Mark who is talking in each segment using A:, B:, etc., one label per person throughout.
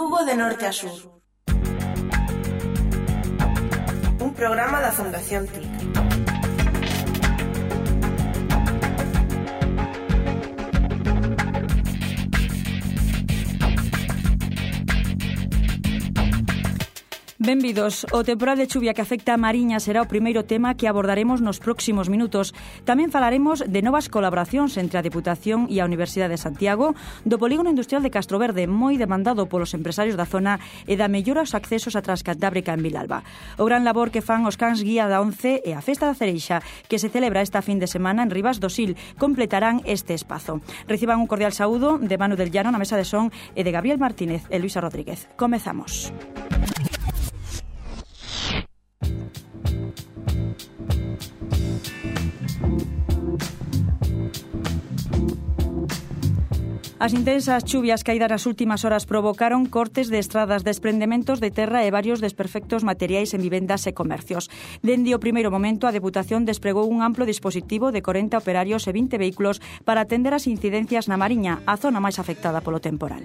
A: Lugo de norte a sur. Un programa da Fundación TIC.
B: Benvidos. O temporal de chuvia que afecta a Mariña será o primeiro tema que abordaremos nos próximos minutos. Tamén falaremos de novas colaboracións entre a Deputación e a Universidade de Santiago, do polígono industrial de Castroverde, moi demandado polos empresarios da zona, e da mellora aos accesos a Transcantábrica en Vilalba. O gran labor que fan os cans guía da ONCE e a Festa da Cereixa, que se celebra esta fin de semana en Rivas do Sil, completarán este espazo. Reciban un cordial saúdo de Manu del Llano na mesa de son e de Gabriel Martínez e Luisa Rodríguez. Comezamos. As intensas chuvias caídas nas últimas horas provocaron cortes de estradas, desprendementos de terra e varios desperfectos materiais en vivendas e comercios. Dende o primeiro momento, a Deputación despregou un amplo dispositivo de 40 operarios e 20 vehículos para atender as incidencias na Mariña, a zona máis afectada polo temporal.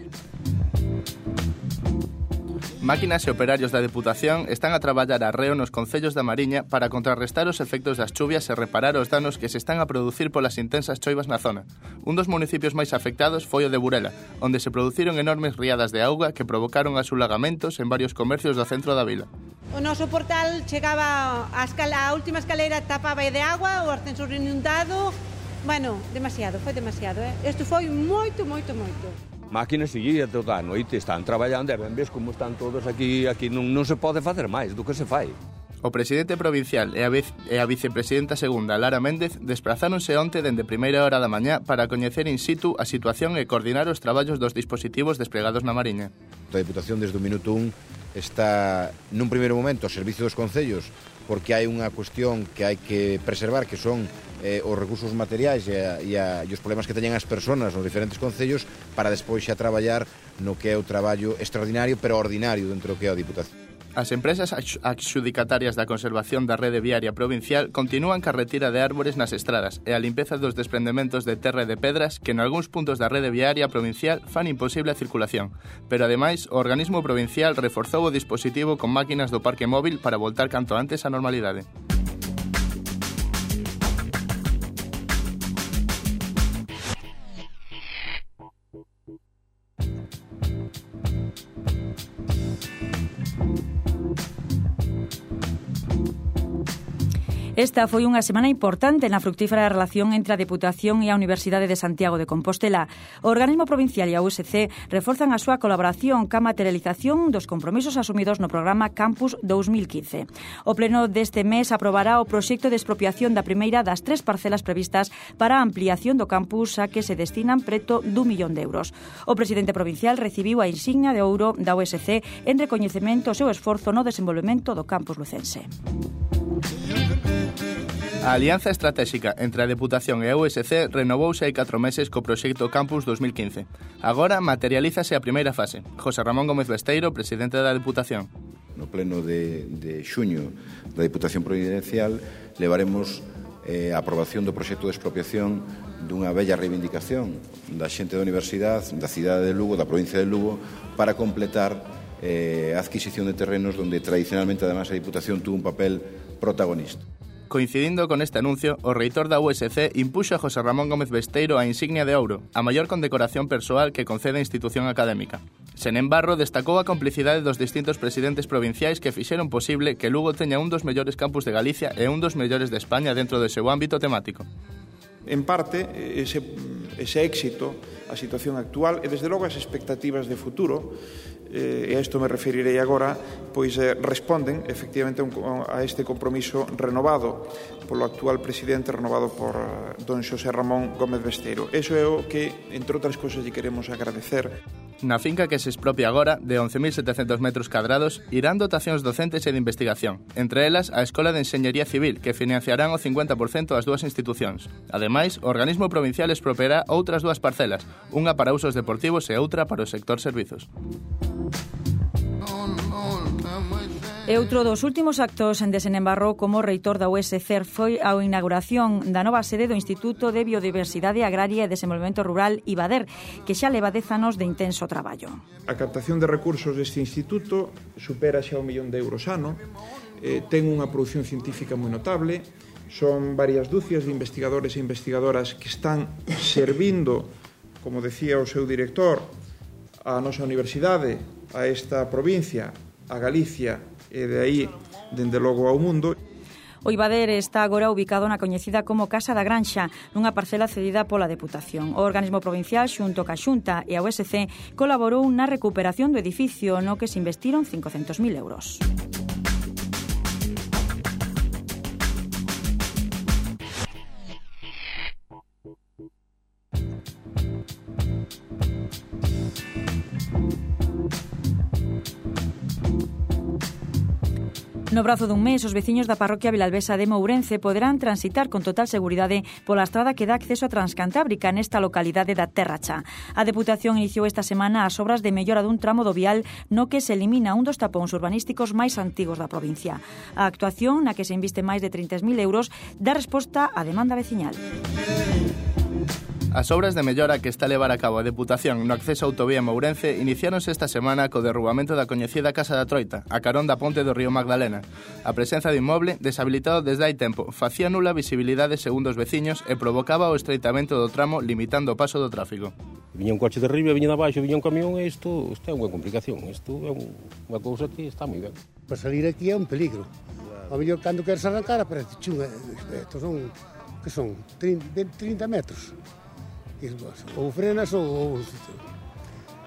C: Máquinas e operarios da Deputación están a traballar arreo nos concellos da Mariña para contrarrestar os efectos das chuvias e reparar os danos que se están a producir polas intensas choivas na zona. Un dos municipios máis afectados foi o de Burela, onde se produciron enormes riadas de auga que provocaron asulagamentos en varios comercios do centro da vila.
D: O noso portal chegaba a última escalera, tapaba de agua, o ascensor inundado. Bueno, foi demasiado. Isto foi moito.
E: Máquinas seguía toda a noite, están traballando e ben ves como están todos aquí non se pode facer máis do que se fai.
C: O presidente provincial e a vicepresidenta segunda, Lara Méndez, desprazáronse onte dende primeira hora da mañá para coñecer in situ a situación e coordinar os traballos dos dispositivos desplegados na Mariña.
F: A Deputación desde o minuto 1 está nun primeiro momento ao servicio dos concellos porque hai unha cuestión que hai que preservar que son os recursos materiais e os problemas que teñen as persoas nos diferentes concellos para despois xa traballar no que é o traballo extraordinario pero ordinario dentro do que é a Deputación.
C: As empresas adxudicatarias da conservación da rede viaria provincial continúan ca retira de árbores nas estradas e a limpeza dos desprendementos de terra e de pedras que en algúns puntos da rede viaria provincial fan imposible a circulación. Pero ademais, o organismo provincial reforzou o dispositivo con máquinas do parque móvil para voltar canto antes á normalidade.
B: Esta foi unha semana importante na fructífera relación entre a Deputación e a Universidade de Santiago de Compostela. O organismo provincial e a USC reforzan a súa colaboración ca materialización dos compromisos asumidos no programa Campus 2015. O pleno deste mes aprobará o proxecto de expropiación da primeira das 3 parcelas previstas para a ampliación do campus a que se destinan preto d'1 millón de euros. O presidente provincial recibiu a insignia de ouro da USC en recoñecemento ao seu esforzo no desenvolvemento do campus lucense.
C: A alianza estratégica entre a Deputación e a USC renovouse hai 4 meses co proxecto Campus 2015. Agora materialízase a primeira fase. José Ramón Gómez Besteiro, presidente da Deputación.
F: No pleno de xuño da Deputación Providencial levaremos a aprobación do proxecto de expropiación dunha bella reivindicación da xente da Universidade, da cidade de Lugo, da provincia de Lugo, para completar a adquisición de terrenos onde tradicionalmente además a Deputación tuvo un papel protagonista.
C: Coincidindo con este anuncio, o reitor da USC impuxo a José Ramón Gómez Besteiro a insignia de ouro, a maior condecoración persoal que concede a institución académica. Sen embargo, destacou a complicidade dos distintos presidentes provinciais que fixeron posible que Lugo teña un dos mellores campus de Galicia e un dos mellores de España dentro do seu ámbito temático.
G: En parte, ese éxito, a situación actual e, desde logo, as expectativas de futuro, e a isto me referirei agora, pois responden efectivamente a este compromiso renovado polo actual presidente, renovado por don Xosé Ramón Gómez Besteiro. Eso é o que, entre outras cousas, lle queremos agradecer.
C: Na finca que se expropia agora, de 11.700 metros cadrados, irán dotacións docentes e de investigación, entre elas a Escola de Enxeñería Civil, que financiarán o 50% das dúas institucións. Ademais, o organismo provincial expropiará outras 2 parcelas, unha para usos deportivos e outra para o sector servizos.
B: E outro dos últimos actos en desembarrou como reitor da USC foi a inauguración da nova sede do Instituto de Biodiversidade Agraria e Desenvolvemento Rural IBADER, que xa leva 10 anos de intenso traballo.
G: A captación de recursos deste instituto supera xa 1 millón de euros ano, ten unha produción científica moi notable, son varias dúcias de investigadores e investigadoras que están servindo, como decía o seu director, a nosa universidade, a esta provincia, a Galicia e de aí, dende logo, ao mundo.
B: O IBADER está agora ubicado na coñecida como Casa da Granxa, nunha parcela cedida pola Deputación. O organismo provincial, xunto ca Xunta e a USC, colaborou na recuperación do edificio, no que se investiron 500.000 euros. No prazo dun mes, os veciños da parroquia Vilalbesa de Mourense poderán transitar con total seguridade pola estrada que dá acceso a Transcantábrica nesta localidade da Terra Cha. A Deputación iniciou esta semana as obras de mellora dun tramo do vial no que se elimina un dos tapóns urbanísticos máis antigos da provincia. A actuación, na que se inviste máis de 30.000 euros, dá resposta á demanda veciñal.
C: As obras de mellora que está a levar a cabo a Deputación no acceso a autovía Mourense iniciáronse esta semana co derrubamento da coñecida Casa da Troita, a carón da ponte do río Magdalena. A presenza do inmoble, deshabilitado desde hai tempo, facía nula visibilidade segundo os veciños e provocaba o estreitamento do tramo limitando o paso do tráfico.
H: Viña un coche de arriba, viña de abaixo, viña un camión e isto é unha complicación, isto é unha cousa que está moi ben.
I: Para salir aquí é un peligro. A mellor cando queres arrancar aparece chunga, estos son, que son 30 metros. Ou frenas ou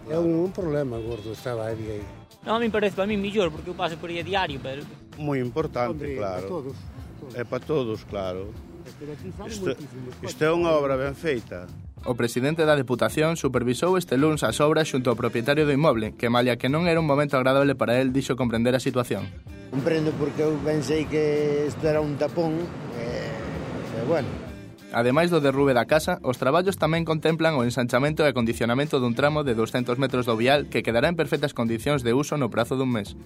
I: é un problema gordo estaba aí.
J: Non, a mí parece para mí mellor porque eu paso por aí a diario, pero
K: moi importante,
I: Hombre,
K: claro. É para todos, claro. Isto é unha obra ben feita.
C: O presidente da Deputación supervisou este luns as obras xunto ao propietario do inmoble, que malia que non era un momento agradable para el, dixo comprender a situación.
I: Comprendo porque eu pensei que isto era un tapón e bueno.
C: Ademais do derrube da casa, os traballos tamén contemplan o ensanchamento e acondicionamento dun tramo de 200 metros do vial que quedará en perfectas condicións de uso no prazo dun mes.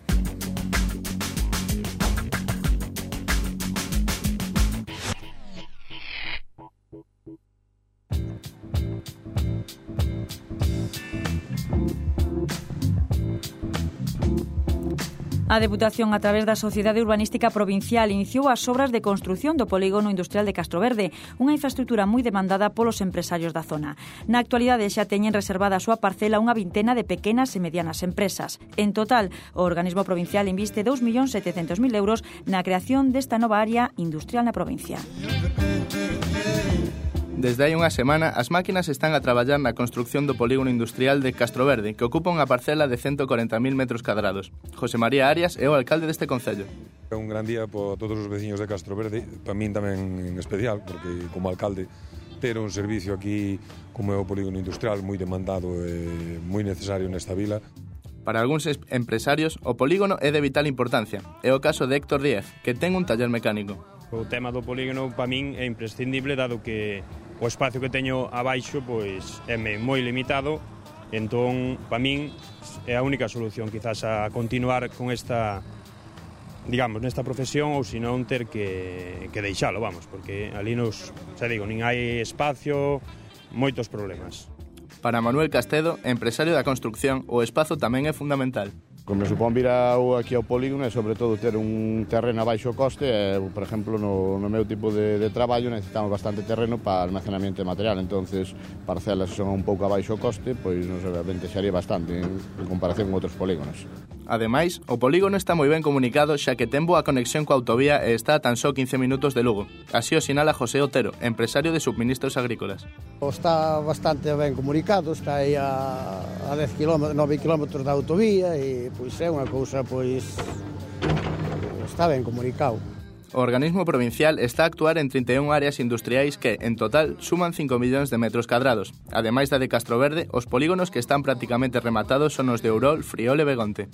B: A Deputación, a través da Sociedade Urbanística Provincial, iniciou as obras de construción do polígono industrial de Castroverde, unha infraestructura moi demandada polos empresarios da zona. Na actualidade xa teñen reservada a súa parcela unha vintena de pequenas e medianas empresas. En total, o organismo provincial inviste 2.700.000 euros na creación desta nova área industrial na provincia.
C: Desde hai unha semana, as máquinas están a traballar na construción do polígono industrial de Castroverde, que ocupa unha parcela de 140.000 metros cadrados. José María Arias é o alcalde deste concello.
L: É un gran día para todos os veciños de Castroverde, para min tamén en especial, porque como alcalde ter un servicio aquí como é o polígono industrial moi demandado e moi necesario nesta vila.
C: Para algúns empresarios, o polígono é de vital importancia. É o caso de Héctor Díez, que ten un taller mecánico.
M: O tema do polígono para min é imprescindible, dado que o espacio que teño abaixo pois é moi limitado, entón para min é a única solución quizás a continuar con esta, digamos, nesta profesión ou senón ter que deixalo, vamos, porque ali nos, xa digo, nin hai espacio, moitos problemas.
C: Para Manuel Castedo, empresario da construcción, o espazo tamén é fundamental.
N: Como me supón vir aquí ao polígono é sobre todo ter un terreno a baixo coste e, por exemplo, no meu tipo de traballo necesitamos bastante terreno para almacenamiento de material, entonces parcelas son un pouco a baixo coste, pois nos beneficiaría bastante en comparación con outros polígonos.
C: Ademais, o polígono está moi ben comunicado xa que ten boa conexión coa autovía e está a tan só 15 minutos de Lugo. Así o sinala José Otero, empresario de subministros agrícolas.
I: Está bastante ben comunicado, está aí a 9 km da autovía e pois é unha cousa, pois está ben comunicado.
C: O organismo provincial está a actuar en 31 áreas industriais que, en total, suman 5 millóns de metros cadrados. Ademais da de Castroverde, os polígonos que están prácticamente rematados son os de Ourol, Friol e Begonte.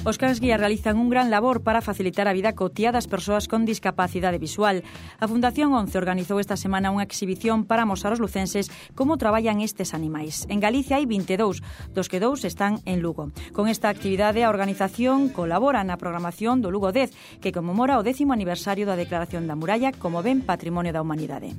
B: Os cans guía realizan un gran labor para facilitar a vida cotiá das persoas con discapacidade visual. A Fundación 11 organizou esta semana unha exhibición para mostrar aos lucenses como traballan estes animais. En Galicia hai 22, dos que 2 están en Lugo. Con esta actividade a organización colabora na programación do Lugo 10, que conmemora o 10º aniversario da Declaración da Muralla como ben patrimonio da humanidade.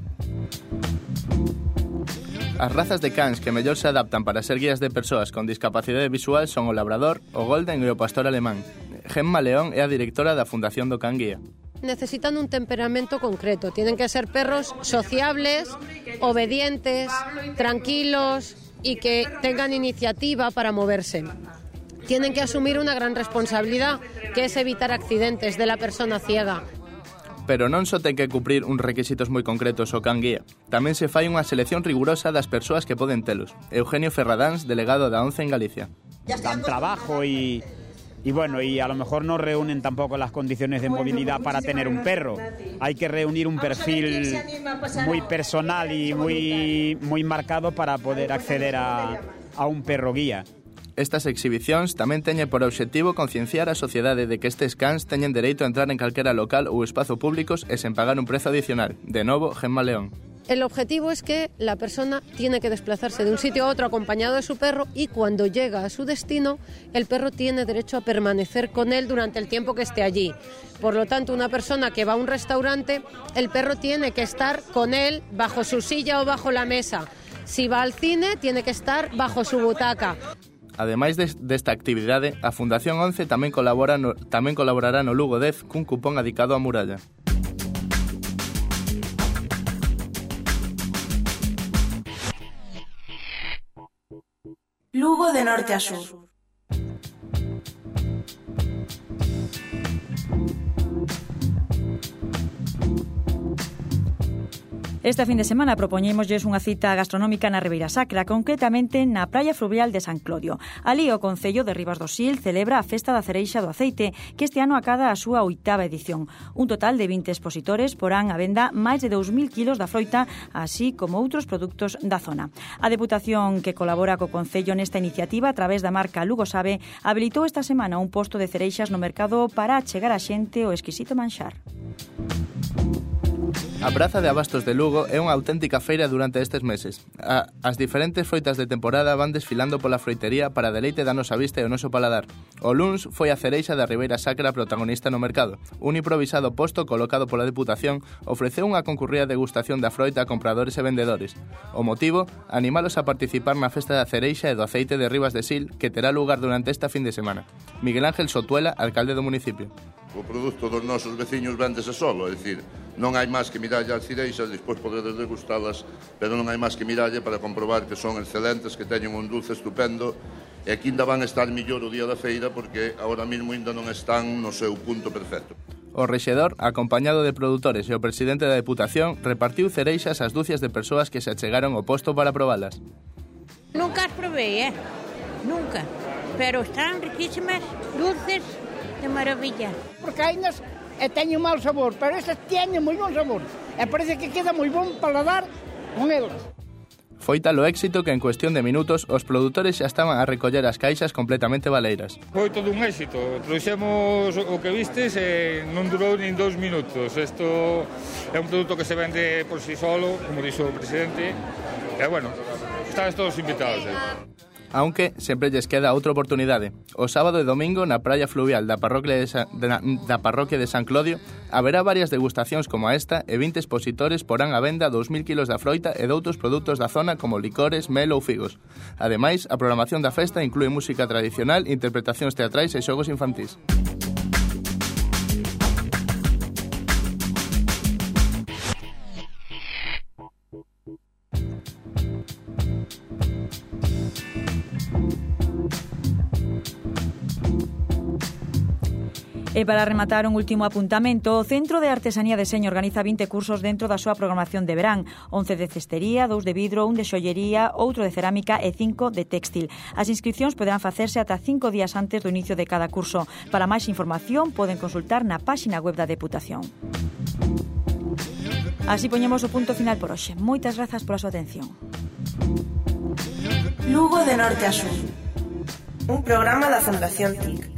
C: As razas de cans que mellor se adaptan para ser guías de persoas con discapacidade visual son o labrador, o golden e o pastor alemán. Gemma León é a directora da Fundación do Can Guía.
O: Necesitan un temperamento concreto. Tienen que ser perros sociables, obedientes, tranquilos y que tengan iniciativa para moverse. Tienen que asumir una gran responsabilidad, que es evitar accidentes de la persona ciega.
C: Pero non só ten que cumprir uns requisitos moi concretos o can guía. Tamén se fai unha selección rigurosa das persoas que poden telos. Eugenio Ferradáns, delegado da 11 en Galicia.
P: Dan trabajo y bueno, y a lo mejor no reúnen tampoco las condiciones de movilidad para tener un perro. Hay que reunir un perfil muy personal y muy marcado para poder acceder a un perro guía.
C: Estas exhibicións tamén teñen por obxectivo concienciar a sociedade de que estes cans teñen dereito a entrar en calquera local ou espazo públicos e sen pagar un prezo adicional. De novo, Gemma León.
O: El objetivo es que la persona tiene que desplazarse de un sitio a otro acompañado de su perro y cuando llega a su destino, el perro tiene derecho a permanecer con él durante el tiempo que esté allí. Por lo tanto, una persona que va a un restaurante, el perro tiene que estar con él bajo su silla o bajo la mesa. Si va al cine, tiene que estar bajo su butaca.
C: Ademais desta actividade, a Fundación 11 tamén colaborará no Lugo 10 cun cupón adicado á muralla.
A: Lugo de norte a sur.
B: Este fin de semana propoñémoslles unha cita gastronómica na Ribeira Sacra, concretamente na Praia Fluvial de San Clodio. Alí o Concello de Ribas do Sil celebra a Festa da Cereixa do Aceite, que este ano acada a súa 8ª edición. Un total de 20 expositores porán a venda máis de 2.000 kilos da froita, así como outros produtos da zona. A Deputación que colabora co Concello nesta iniciativa a través da marca Lugo Sabe habilitou esta semana un posto de cereixas no mercado para achegar a xente o exquisito manxar.
C: A Praza de Abastos de Lugo é unha auténtica feira durante estes meses. As diferentes froitas de temporada van desfilando pola froitería para deleite da nosa vista e o noso paladar. O luns foi a cereixa da Ribeira Sacra protagonista no mercado. Un improvisado posto colocado pola Deputación ofreceu unha concurrida degustación da froita a compradores e vendedores. O motivo, animalos a participar na Festa da Cereixa e do Aceite de Ribas de Sil, que terá lugar durante esta fin de semana. Miguel Ángel Sotuela, alcalde do municipio.
Q: O produto dos nosos veciños véndese solo, é dicir, non hai máis que miralle as cireixas, despois podedes degustalas, pero non hai máis que miralle para comprobar que son excelentes, que teñen un dulce estupendo, e aquí ainda van estar millor o día da feira, porque agora mesmo ainda non están no seu punto perfecto.
C: O rexedor, acompañado de produtores e o presidente da Deputación, repartiu cereixas ás dúcias de persoas que se achegaron ao posto para probalas.
R: Nunca as probei, nunca, pero están riquísimas, dulces, de maravilla.
S: Porque ainas teñen mal sabor, pero estas teñen moi bon sabor. E parece que queda moi bon paladar con elas.
C: Foi tal o éxito que en cuestión de minutos os produtores xa estaban a recoller as caixas completamente baleiras.
T: Foi todo un éxito. Trouxemos o que vistes e non durou nin 2 minutos. Isto é un produto que se vende por si solo, como dixo o presidente. E bueno, estáis todos invitados.
C: Aunque sempre lles queda outra oportunidade. O sábado e domingo na praia fluvial da parroquia de San Clodio haberá varias degustacións como esta e 20 expositores porán a venda 2.000 kilos da froita e doutros produtos da zona como licores, mel ou figos. Ademais, a programación da festa inclúe música tradicional, interpretacións teatrais e xogos infantís.
B: E para rematar un último apuntamento, o Centro de Artesanía de Seño organiza 20 cursos dentro da súa programación de verán, 11 de cestería, 2 de vidro, 1 de xollería, outro de cerámica e 5 de téxtil. As inscripcións poderán facerse ata 5 días antes do inicio de cada curso. Para máis información poden consultar na páxina web da Deputación. Así poñemos o punto final por hoxe. Moitas grazas pola súa atención.
A: Lugo de norte a sur. Un programa da Fundación TIC.